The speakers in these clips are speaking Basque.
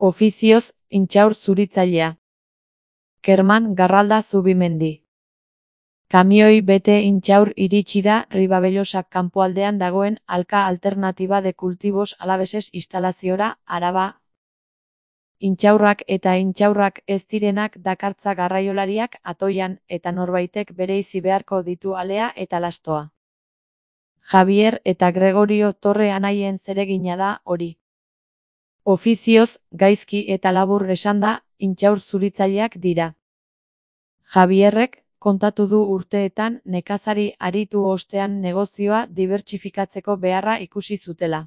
Ofizioz, intxaur zuritzailea. Kerman Garralda Zubimendi. Kamioi bete intxaur iritsi da Ribavellosa kanpoaldean dagoen Alka Alternativa de Cultivos Alaveses instalaziora, Araba. Intxaurrak eta intxaurrak ez direnak dakartza garraiolariak atoian eta norbaitek bereizi beharko ditu alea eta lastoa. Javier eta Gregorio Torre anaien zeregina da hori. Ofizioz, gaizki eta labur esanda, intxaur zuritzaileak dira. Javierrek kontatu du urteetan nekazari aritu ostean negozioa dibertsifikatzeko beharra ikusi zutela.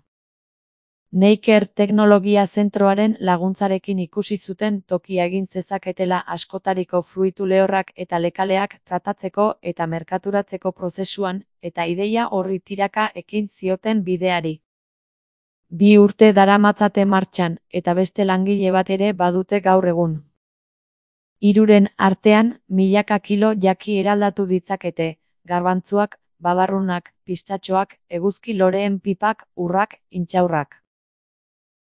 Neiker Teknologia Zentroaren laguntzarekin ikusi zuten tokia egin zezaketela askotariko fruitu lehorrak eta lekaleak tratatzeko eta merkaturatzeko prozesuan, eta ideia horri tiraka ekin zioten bideari. 2 urte daramatzate martxan, eta beste langile bat ere badute gaur egun. 3 artean, milaka kilo jaki eraldatu ditzakete, garbantzuak, babarrunak, pistatxoak, eguzki loreen pipak, urrak, intxaurrak.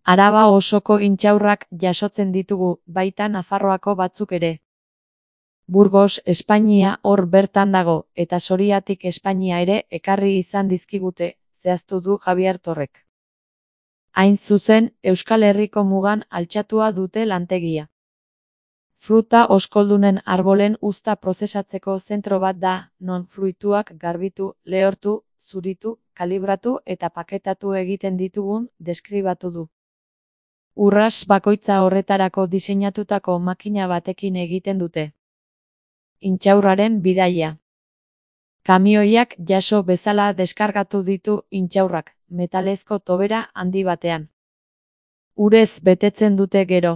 Araba osoko intxaurrak jasotzen ditugu, baita Nafarroako batzuk ere. Burgos, Espainia hor bertan dago, eta Soriatik Espainia ere ekarri izan dizkigute, zehaztu du Javier Torrek. Hain zuzen, Euskal Herriko mugan altxatua dute lantegia. Fruta oskoldunen arbolen uzta prozesatzeko zentro bat da, non fruituak garbitu, lehortu, zuritu, kalibratu eta paketatu egiten ditugun deskribatu du. Urras bakoitza horretarako diseinatutako makina batekin egiten dute. Intxaurraren bidaia. Kamioiak jaso bezala deskargatu ditu intxaurrak, metalezko tobera handi batean. Urez betetzen dute gero.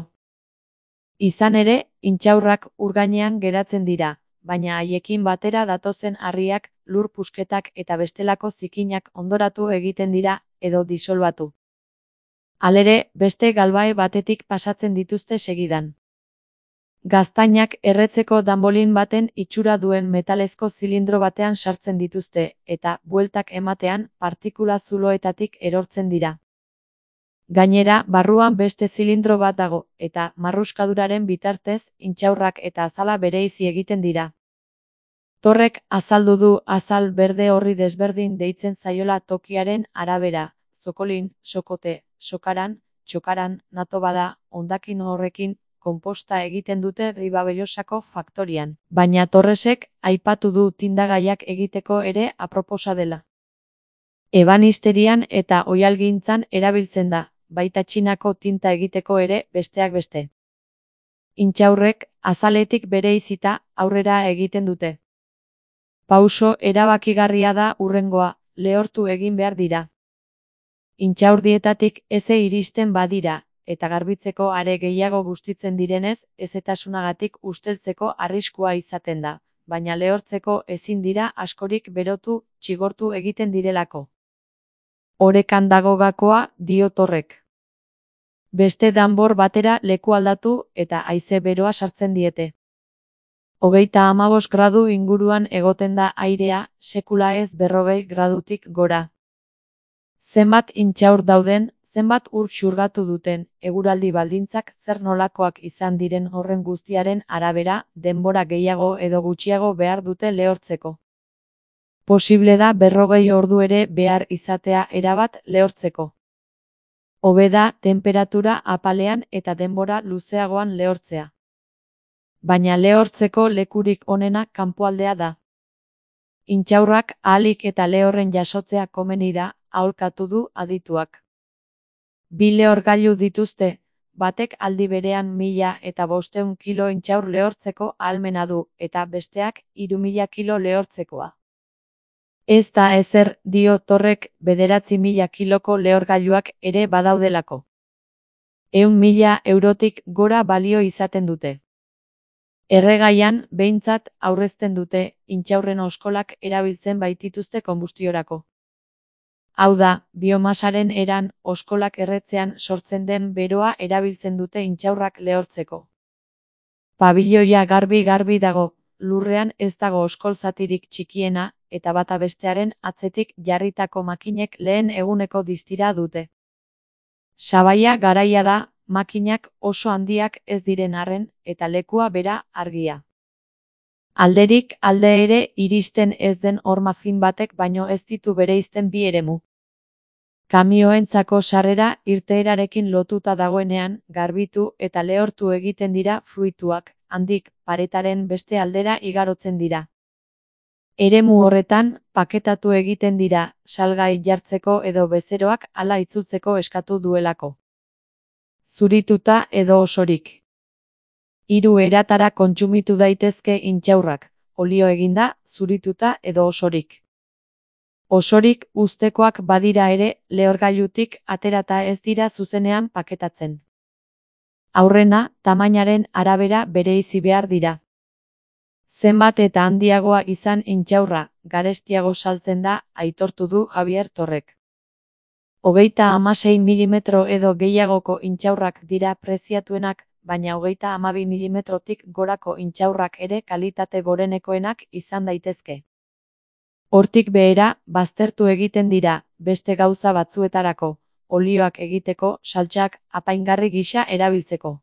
Izan ere, intxaurrak ur gainean geratzen dira, baina haiekin batera datozen harriak, lur pusketak eta bestelako zikinak ondoratu egiten dira, edo disolbatu. Halere, beste galbae batetik pasatzen dituzte segidan. Gaztainak erretzeko danbolin baten itxura duen metalezko zilindro batean sartzen dituzte, eta, bueltak ematean, partikula zuloetatik erortzen dira. Gainera, barruan beste zilindro bat dago, eta, marruskaduraren bitartez, intxaurrak eta azala bereizi egiten dira. Torrek azaldu du azal berde horri desberdin deitzen zaiola tokiaren arabera, zokolin, sokote, sokaran, txokaran, nato bada, hondakin horrekin, konposta egiten dute Ribabellosako faktorian, baina Torresek aipatu du tindagaiak egiteko ere aproposa dela. Ebanisterian eta oihalgintzan erabiltzen da, baita Txinako tinta egiteko ere besteak beste. Intxaurrek, azaletik bereizita, aurrera egiten dute. Pauso erabakigarria da hurrengoa, lehortu egin behar dira. Intxaurdietatik eze iristen badira, eta garbitzeko are gehiago bustitzen direnez, ezetasunagatik usteltzeko arriskua izaten da, baina lehortzeko ezin dira askorik berotu, txigortu egiten direlako. Orekan dago gakoa, dio Torrek. Beste danbor batera leku aldatu eta haize beroa sartzen diete. 35 gradu inguruan egoten da airea, sekula ez 40 gradutik gora. Zenbat intxaur dauden, zenbat ur xurgatu duten, eguraldi baldintzak zer nolakoak izan diren horren guztiaren arabera, denbora gehiago edo gutxiago behar dute lehortzeko. Posible da 40 ordu ere behar izatea erabat lehortzeko. Hobe da tenperatura apalean eta denbora luzeagoan lehortzea. Baina lehortzeko lekurik onena kanpoaldea da. Intxaurrak ahalik eta lehorren jasotzea komeni da, aholkatu du adituak. 2 lehorgailu dituzte, batek aldi berean 1500 kilo intxaur lehortzeko ahalmena du, eta besteak 3000 kilo lehortzekoa. Ez da ezer, dio Torrek, 9.000 kiloko lehorgailuak ere badaudelako. 100.000 eurotik gora balio izaten dute. Erregaian, behintzat, aurrezten dute, intxaurren oskolak erabiltzen baitituzte konbustiorako. Hau da, biomasaren eran, oskolak erretzean sortzen den beroa erabiltzen dute intxaurrak lehortzeko. Pabiloia garbi dago, lurrean ez dago oskol zatirik txikiena, eta bata bestearen atzetik jarritako makinek lehen eguneko distira dute. Sabaia garaia da, makinak oso handiak ez diren arren, eta lekua bera argia. Alderik alde ere iristen ez den horma fin batek baino ez ditu bereizten bi eremu. Kamioentzako sarrera irteerarekin lotuta dagoenean, garbitu eta lehortu egiten dira fruituak, handik paretaren beste aldera igarotzen dira. Eremu horretan, paketatu egiten dira, salgai jartzeko edo bezeroak hala itzultzeko eskatu duelako. Zurituta edo osorik. 3 eratara kontsumitu daitezke intxaurrak, olio eginda, zurituta edo osorik. Osorik uztekoak badira ere, lehorgailutik aterata ez dira zuzenean paketatzen. Aurrena, tamainaren arabera bereizi behar dira. Zenbat eta handiagoa izan intxaurra, garestiago saltzen da, aitortu du Javier Torrek. 36 mm edo gehiagoko intxaurrak dira preziatuenak, baina 32 mm-tik gorako intxaurrak ere kalitate gorenekoenak izan daitezke. Hortik behera, baztertu egiten dira, beste gauza batzuetarako, olioak egiteko, saltsak, apaingarri gisa erabiltzeko.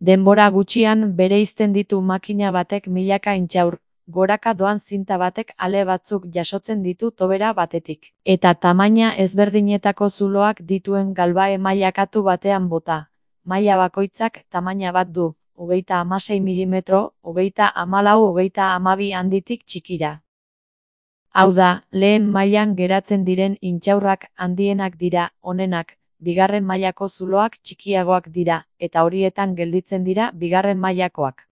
Denbora gutxian bereizten ditu makina batek milaka intxaur, goraka doan zinta batek ale batzuk jasotzen ditu tobera batetik. Eta tamaina ezberdinetako zuloak dituen galbae mailakatu batean bota. Maila bakoitzak tamaina bat du, 36 mm, 34, 32 handitik txikira. Hau da, lehen mailan geratzen diren intxaurrak handienak dira, onenak, bigarren mailako zuloak txikiagoak dira, eta horietan gelditzen dira bigarren mailakoak.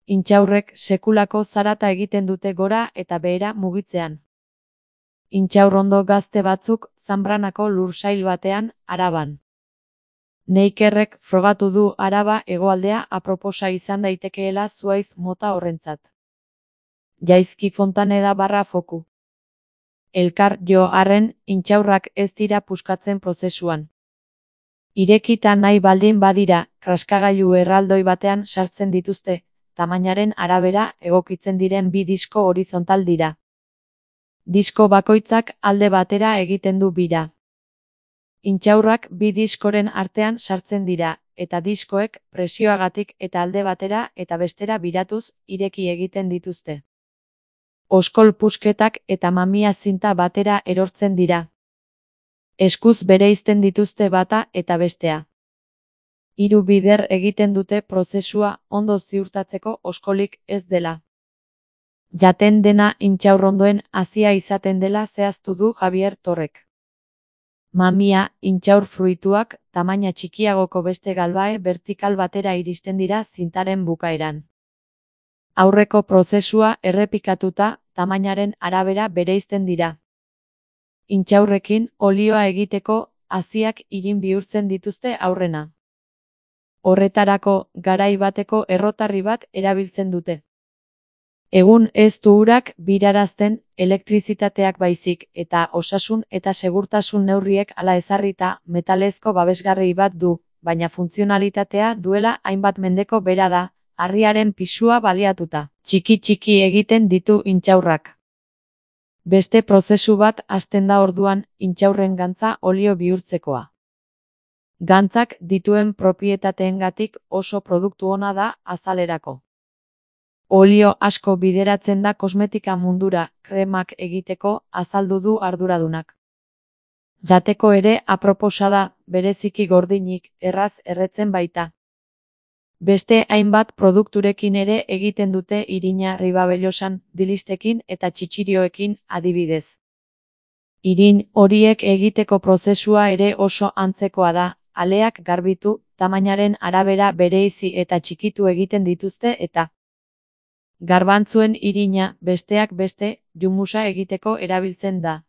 Intxaurrek sekulako zarata egiten dute gora eta behera mugitzean. Intxaurrondo gazte batzuk Zanbranako lursail batean, Araban. Neikerrek frogatu du Araba hegoaldea aproposa izan daitekeela zuhaitz mota horrentzat. Jaizki Fontaneda /Foku. Elkar jo arren, intxaurrak ez dira puskatzen prozesuan. Irekita nahi baldin badira, kraskagailu erraldoi batean sartzen dituzte, tamainaren arabera egokitzen diren 2 disko horizontal dira. Disko bakoitzak alde batera egiten du bira. Intxaurrak 2 diskoren artean sartzen dira, eta diskoek presioagatik eta alde batera eta bestera biratuz ireki egiten dituzte. Oskol pusketak eta mamia zinta batera erortzen dira. Eskuz bereizten dituzte bata eta bestea. 3 bider egiten dute prozesua ondo ziurtatzeko oskolik ez dela. Jaten dena intxaurrondoen hazia izaten dela zehaztu du Javier Torrek. Mamia, intxaur fruituak, tamaina txikiagoko beste galbae vertikal batera iristen dira zintaren bukaeran. Aurreko prozesua errepikatuta, tamainaren arabera bereizten dira. Intxaurrekin olioa egiteko haziak irin bihurtzen dituzte aurrena. Horretarako garai bateko errotarri bat erabiltzen dute. Egun ez du urak birarazten elektrizitateak baizik eta osasun eta segurtasun neurriek hala ezarrita metalezko babesgarri bat du, baina funtzionalitatea duela hainbat mendeko bera da, harriaren pisua baliatuta. Txiki egiten ditu intxaurrak. Beste prozesu bat hasten da orduan intxaurren gantza olio bihurtzekoa. Gantzak dituen propietateengatik oso produktu ona da azalerako. Olio asko bideratzen da kosmetika mundura, kremak egiteko, azaldu du arduradunak. Jateko ere aproposa da, bereziki gordinik, erraz erretzen baita. Beste hainbat produkturekin ere egiten dute irina Ribabellosan, dilistekin eta txitsirioekin adibidez. Irin horiek egiteko prozesua ere oso antzekoa da, aleak garbitu, tamainaren arabera bereizi eta txikitu egiten dituzte eta garbantzuen irina, besteak beste, jumusa egiteko erabiltzen da.